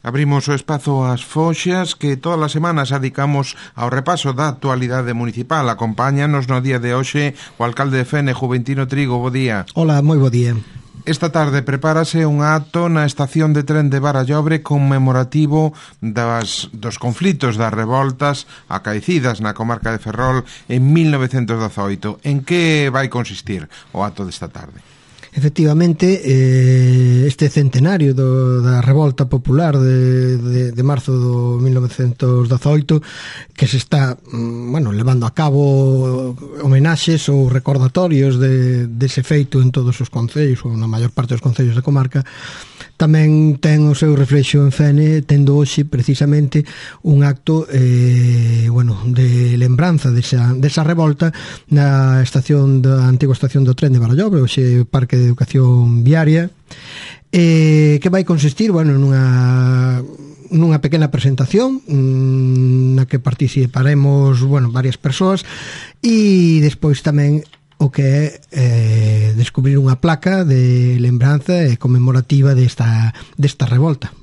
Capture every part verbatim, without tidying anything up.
Abrimos o espazo ás Foxas que todas as semanas adicamos ao repaso da actualidade municipal. Acompáñanos no día de hoxe o alcalde de Fene, Juventino Trigo. Bo día. Hola, moi bo día. Esta tarde prepárase un acto na estación de tren de Barallobre conmemorativo das, dos conflitos das revoltas acaecidas na comarca de Ferrol en mil novecentos dezaoito. En que vai consistir o acto desta tarde? Efectivamente, eh, este centenario do, da revolta popular de, de, de marzo do mil novecentos dezaoito que se está, bueno, levando a cabo homenaxes ou recordatorios de, dese feito en todos os concellos ou na maior parte dos concellos da comarca, tamén ten o seu reflexo en Fene, tendo hoxe precisamente un acto eh, bueno, de lembranza desa, desa revolta na estación da antiga estación do tren de Barallobre, hoxe Parque de Educación Viaria, eh, que vai consistir, bueno, nunha nunha pequena presentación na que participaremos, bueno, varias persoas, e despois tamén o que é eh, descubrir unha placa de lembranza e conmemorativa desta, desta revolta.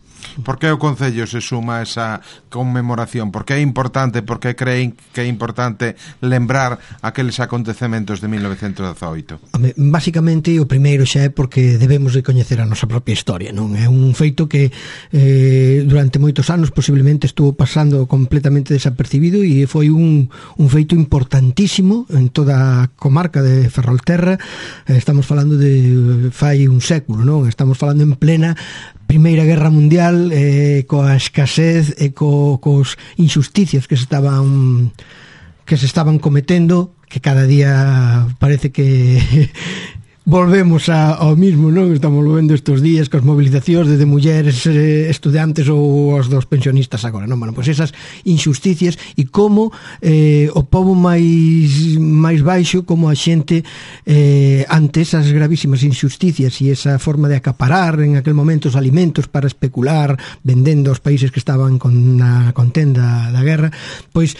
Por que o Concello se suma a esa conmemoración? Por que é importante, por que creen que é importante lembrar aqueles acontecementos de mil novecentos dezaoito? Básicamente, o primeiro xa é porque debemos de coñecer a nosa propia historia, non? É un feito que eh, durante moitos anos posiblemente estuvo pasando completamente desapercibido e foi un, un feito importantísimo en toda a comarca de Ferrolterra. Estamos falando de fai un século, non? Estamos falando en plena Primeira Guerra Mundial, eh, coa escasez e co, cos injusticias que se estaban que se estaban cometendo, que cada día parece que volvemos a, ao mismo, non? Estamos vendo estes días cos movilizacións de mulleres, eh, estudantes ou os dos pensionistas agora, non? Bueno, pois esas injusticias e como eh, o pobo máis máis baixo, como a xente eh, ante esas gravísimas injusticias e esa forma de acaparar en aquel momento os alimentos para especular vendendo aos países que estaban con na contenda da guerra, pois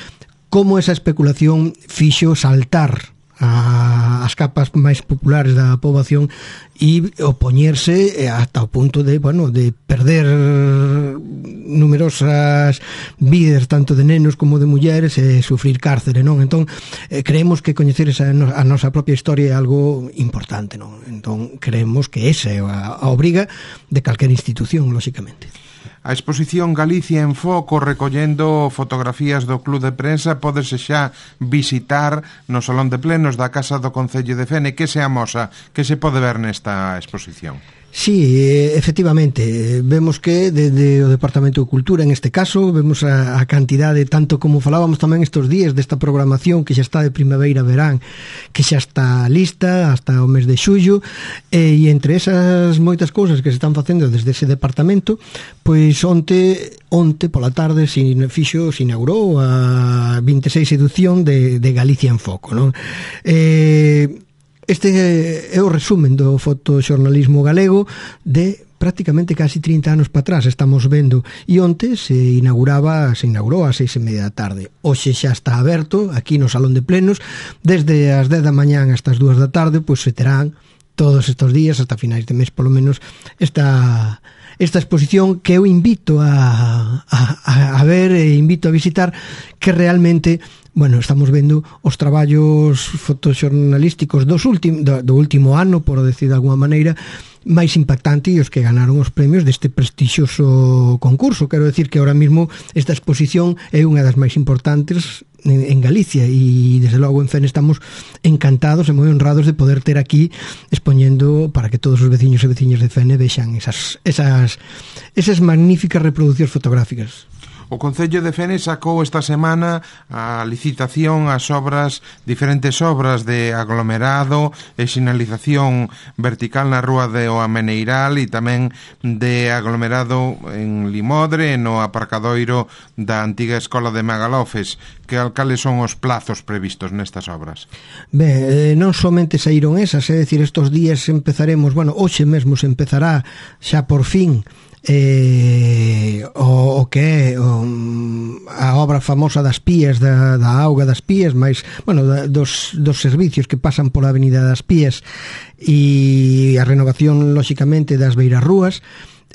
como esa especulación fixo saltar a, as capas máis populares da poboación e opoñerse ata o punto de, bueno, de perder numerosas vidas tanto de nenos como de mulleres e sufrir cárcere, non? Entón, eh, creemos que coñecer esa, a nosa propia historia é algo importante, non? Entón, creemos que esa é a, a obriga de calquera institución, lóxicamente. A exposición Galicia en Foco, recollendo fotografías do Club de Prensa, pódese xa visitar no Salón de Plenos da Casa do Concello de Fene. Que se amosa, que se pode ver nesta exposición? Sí, efectivamente, vemos que desde o Departamento de Cultura, en este caso, vemos a, a cantidade, tanto como falábamos tamén estes días desta programación que xa está de primavera-verán, que xa está lista hasta o mes de xullo, e, e entre esas moitas cousas que se están facendo desde ese departamento, pois onte, onte pola tarde se fixo, se inaugurou a vinte e seis edición de, de Galicia en Foco, non? Eh... Este é o resumen do fotoxornalismo galego de prácticamente casi trinta anos para atrás. Estamos vendo, e onte se inauguraba, se inaugurou ás seis e media da tarde. Hoxe xa está aberto aquí no Salón de Plenos, desde as dez da mañán hasta as dúas da tarde, pois se terán todos estes días, hasta finais de mes polo menos, esta esta exposición que eu invito a, a, a ver e invito a visitar, que realmente, bueno, estamos vendo os traballos fotoxornalísticos dos últim, do, do último ano, por decir de alguma maneira, máis impactante e os que ganaron os premios deste prestixioso concurso. Quero decir que ahora mismo esta exposición é unha das máis importantes en, en Galicia e desde logo en Fene estamos encantados e moi honrados de poder ter aquí expoñendo para que todos os veciños e veciñas de Fene vexan esas, esas, esas magníficas reproduccións fotográficas. O Concello de Fene sacou esta semana a licitación ás obras, diferentes obras de aglomerado e sinalización vertical na rúa de O Ameneiral e tamén de aglomerado en Limodre no aparcadoiro da antiga escola de Magalofes. Que alcales son os plazos previstos nestas obras? Ben, non somente saíron esas, é dicir, estos días empezaremos, bueno, hoxe mesmo se empezará xa por fin eh, o, o que é o, a obra famosa das Pías, da, da auga das Pías, máis, bueno, da, dos, dos servicios que pasan pola avenida das Pías e a renovación, lóxicamente, das beirarrúas.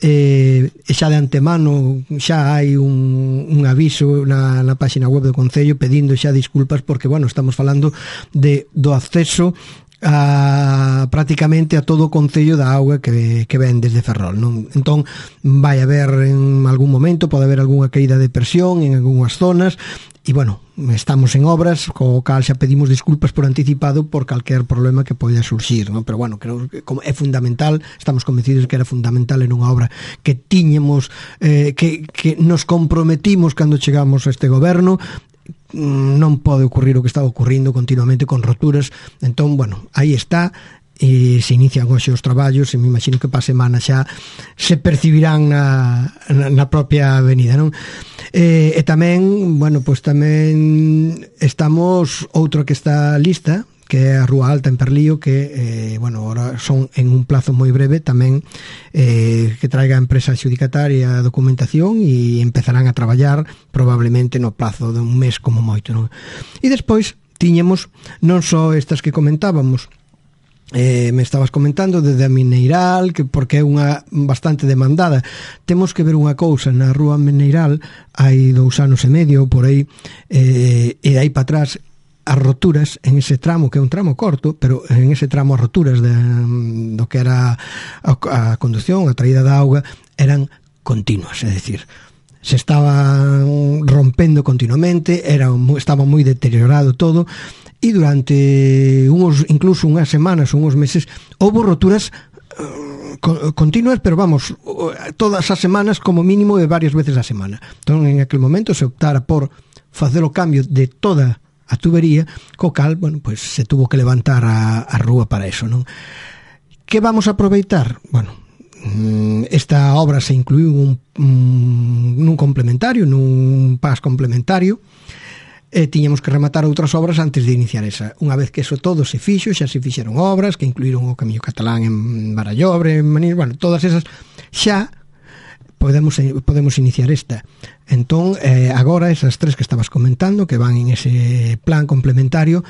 e eh, xa de antemano xa hai un, un aviso na, na página web do Concello pedindo xa disculpas porque, bueno, estamos falando de do acceso a prácticamente a todo o concello da auga que, que ven desde Ferrol, non? Entón vai haber en algún momento, pode haber algunha caída de presión en algunhas zonas e, bueno, estamos en obras, co cal xa pedimos disculpas por anticipado por calquer problema que poida surxir, non? Pero, bueno, creo que é fundamental, estamos convencidos que era fundamental en unha obra que tiñemos, eh, que, que nos comprometimos cando chegamos a este goberno. Non pode ocurrir o que está ocurrindo continuamente con roturas. Entón, bueno, aí está, e se inician hoxe os traballos e me imagino que pa semana xa se percibirán na, na, na propia avenida, non? E, e tamén, bueno, pois tamén estamos outro que está lista, que é a Rúa Alta en Perlío, que, eh, bueno, ahora son en un plazo moi breve tamén, eh, que traiga a empresa adxudicataria a documentación e empezarán a traballar probablemente no plazo de un mes como moito, non? E despois tiñemos non só estas que comentábamos, eh, me estabas comentando de da Mineiral, que porque é unha bastante demandada. Temos que ver unha cousa, na Rúa Mineiral hai dous anos e medio por aí, eh, e aí para atrás as roturas en ese tramo, que é un tramo corto, pero en ese tramo as roturas de, do que era a, a conducción, a traída da auga, eran continuas, é dicir, se estaban rompendo continuamente, era, estaba moi deteriorado todo, e durante uns, incluso unhas semanas, unhos meses, houve roturas uh, continuas, pero vamos, todas as semanas como mínimo e varias veces a semana. Entón, en aquel momento se optara por facer o cambio de toda a tubería, co cal, bueno, pues se tuvo que levantar a, a rúa para eso, non? Que vamos a aproveitar? Bueno, esta obra se incluiu un, un, nun complementario, nun pas complementario, e tiñamos que rematar outras obras antes de iniciar esa. Unha vez que eso todo se fixo, xa se fixeron obras que incluíron o Camiño Catalán en Barallobre, en Manís, bueno, todas esas, xa podemos podemos iniciar esta. Entón, eh, agora esas tres que estabas comentando, que van en ese plan complementario,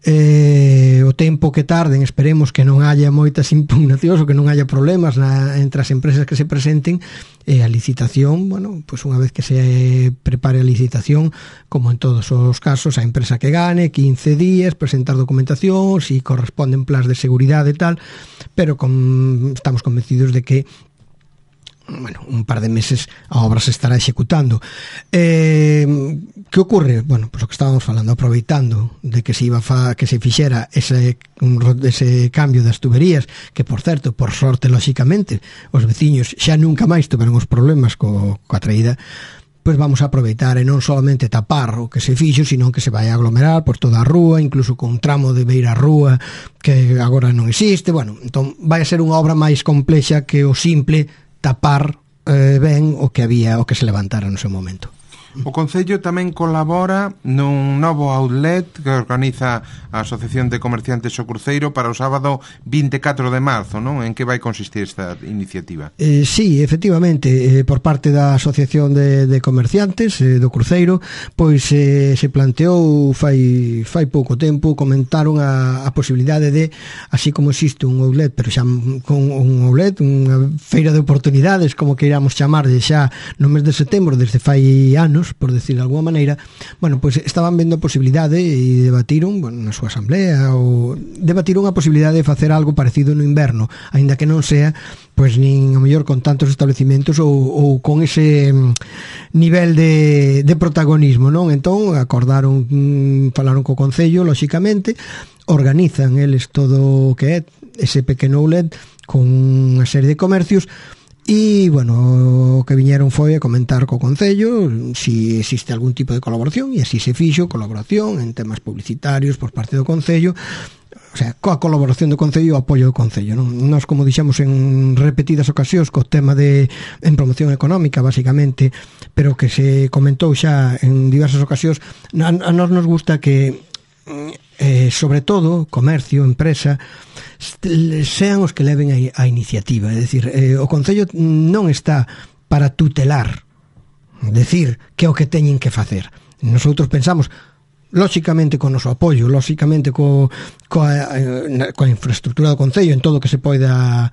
eh, o tempo que tarden, esperemos que non haya moitas impugnacións ou que non haya problemas na, entre as empresas que se presenten, e a licitación, bueno, pues unha vez que se prepare a licitación, como en todos os casos, a empresa que gane, quince días, presentar documentación, si corresponden plans de seguridade e tal, pero con, estamos convencidos de que, bueno, un par de meses a obra se estará executando. Eh, que ocurre? Bueno, pues o que estábamos falando, aproveitando de que se iba fa, que se fixera ese, un, ese cambio das tuberías, que por certo, por sorte, lóxicamente, os veciños xa nunca máis tiveron os problemas co, coa traída, pois vamos a aproveitar e non solamente tapar o que se fixo, sino que se vai a aglomerar por toda a rúa, incluso con un tramo de beira rúa que agora non existe. Bueno, entón vai a ser unha obra máis complexa que o simple tapar eh, ben o que había, o que se levantara no seu momento. O Concello tamén colabora nun novo outlet que organiza a Asociación de Comerciantes O Cruceiro para o sábado vinte e catro de marzo, non? En que vai consistir esta iniciativa? Eh, sí, efectivamente, eh, por parte da Asociación de, de Comerciantes eh, do Cruceiro, pois eh, se planteou fai, fai pouco tempo, comentaron a, a posibilidade de, así como existe un outlet, pero xa con un outlet, unha feira de oportunidades, como que iramos chamarlle xa no mes de setembro, desde fai anos, por decir de alguma maneira, bueno, pois pues estaban vendo a posibilidade e debatiron, bueno, na súa asamblea, ou debatiron a posibilidade de facer algo parecido no inverno, aínda que non sea, pois pues, nin a mellor con tantos establecimentos ou, ou con ese nivel de, de protagonismo, non? Entón, acordaron, falaron co Concello, lóxicamente, organizan eles todo o que é ese pequeno outlet con unha serie de comercios. E, bueno, o que viñeron foi a comentar co Concello si existe algún tipo de colaboración, e así se fixo, colaboración en temas publicitarios por parte do Concello, o sea, coa colaboración do Concello e o apoio do Concello, non? Nos, como dixemos en repetidas ocasións, co tema de en promoción económica, basicamente, pero que se comentou xa en diversas ocasións, a, a nos nos gusta que eh, sobre todo, comercio, empresa, sean os que leven a, a iniciativa. É dicir, eh, o Concello non está para tutelar, decir que é o que teñen que facer. Nosotros pensamos, lóxicamente, con o noso apoio, lóxicamente co, coa, coa infraestructura do Concello, en todo o que se poida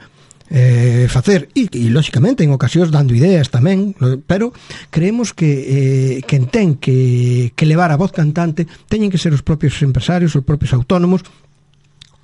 eh, facer e, e lóxicamente en ocasións dando ideas tamén, pero creemos que eh, quen ten que, que levar a voz cantante teñen que ser os propios empresarios, os propios autónomos,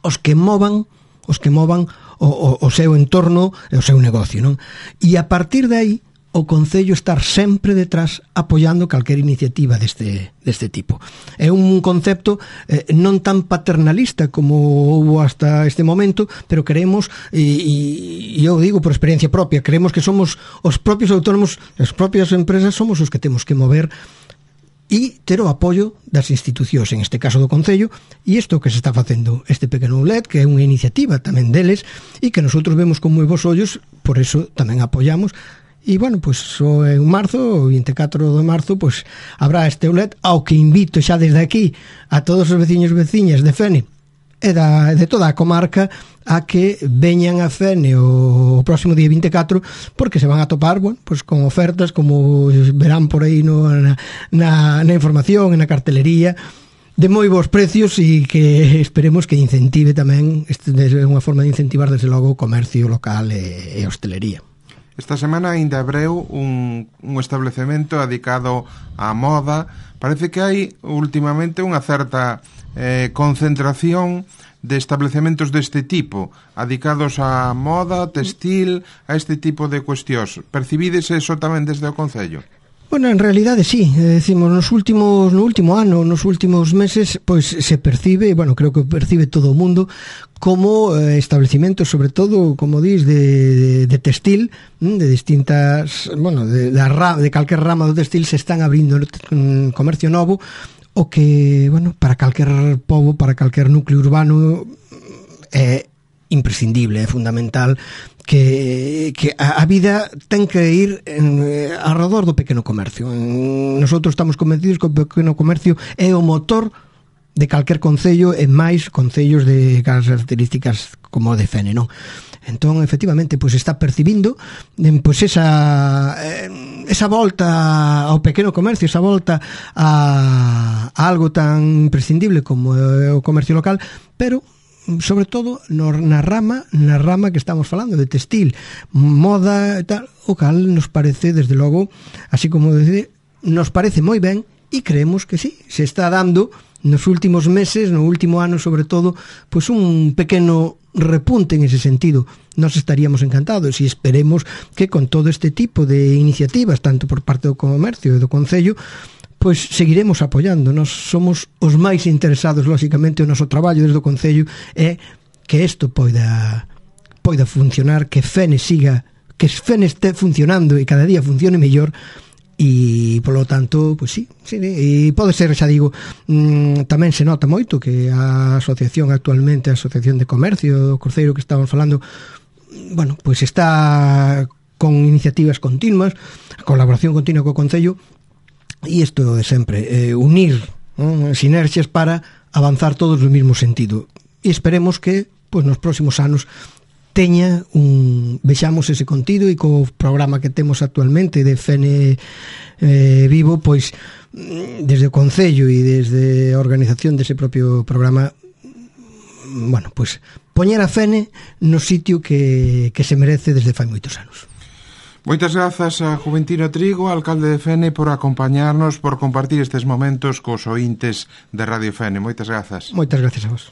os que movan os que movan o, o, o seu entorno e o seu negocio, non? E a partir de aí o Concello estar sempre detrás apoiando calquera iniciativa deste, deste tipo. É un concepto eh, non tan paternalista como houve hasta este momento, pero creemos, e, e eu digo por experiencia propia, creemos que somos os propios autónomos, as propias empresas, somos os que temos que mover e ter o apoio das institucións, en este caso do Concello, e isto que se está facendo, este pequeno outlet, que é unha iniciativa tamén deles, e que nosotros vemos con moi bons ollos, por eso tamén apoiamos. E, bueno, pois, so, en marzo, o vinte e catro de marzo, pois, habrá este outlet, ao que invito xa desde aquí a todos os veciños e veciñas de Fene e da, de toda a comarca a que veñan a Fene o, o próximo día vinte e catro, porque se van a topar, bueno, pois, con ofertas, como verán por aí no, na, na, na información, na cartelería, de moi bons precios e que esperemos que incentive tamén, este é unha forma de incentivar desde logo o comercio local e, e hostelería. Esta semana ainda abreu un, un establecemento dedicado á moda. Parece que hai últimamente unha certa eh, concentración de establecementos deste tipo, dedicados á moda, textil, a este tipo de cuestións. Percibides eso tamén desde o Concello? Bueno, en realidade sí, decimos, nos últimos no último ano, nos últimos meses, pois se percibe, bueno, creo que percibe todo o mundo como eh, estabelecimentos, sobre todo, como dis, de, de, de textil, de distintas, bueno, de, de, de calquer rama do textil se están abrindo un comercio novo, o que, bueno, para calquer pobo, para calquer núcleo urbano é imprescindible, é fundamental que, que a, a vida ten que ir en, eh, alrededor do pequeno comercio. En, nosotros estamos convencidos que o pequeno comercio é o motor de calquer concello e máis concellos de características como o de Fene, non? Entón, efectivamente, pois está percibindo pois esa esa volta ao pequeno comercio, esa volta a, a algo tan imprescindible como o comercio local, pero sobre todo no, na rama na rama que estamos falando de textil, moda e tal, o cal nos parece, desde logo, así como decir, nos parece moi ben e creemos que sí, se está dando nos últimos meses, no último ano sobre todo, pois un pequeno repunte en ese sentido. Nos estaríamos encantados e esperemos que con todo este tipo de iniciativas, tanto por parte do comercio e do Concello, pois seguiremos apoiando. Nos somos os máis interesados, lóxicamente, o noso traballo desde o Concello é que isto poida poida funcionar, que Fene siga, que Fene este funcionando e cada día funcione mellor. E, polo tanto, pois sí, sí, e pode ser, xa digo, mmm, tamén se nota moito que a asociación actualmente, a Asociación de Comercio do Cruceiro que estamos falando, bueno, pois está con iniciativas continuas, a colaboración continua co Concello, e isto de sempre, eh, unir, ¿no?, sinerxias para avanzar todos no mesmo sentido. E esperemos que, pois, nos próximos anos teña un, vexamos ese contido e co programa que temos actualmente de Fene eh, Vivo, pois desde o Concello e desde a organización dese propio programa, bueno, pois poñer a Fene no sitio que, que se merece desde fai moitos anos. Moitas grazas a Juventino Trigo, alcalde de Fene, por acompañarnos, por compartir estes momentos cos ointes de Radio Fene. Moitas grazas. Moitas grazas a vos.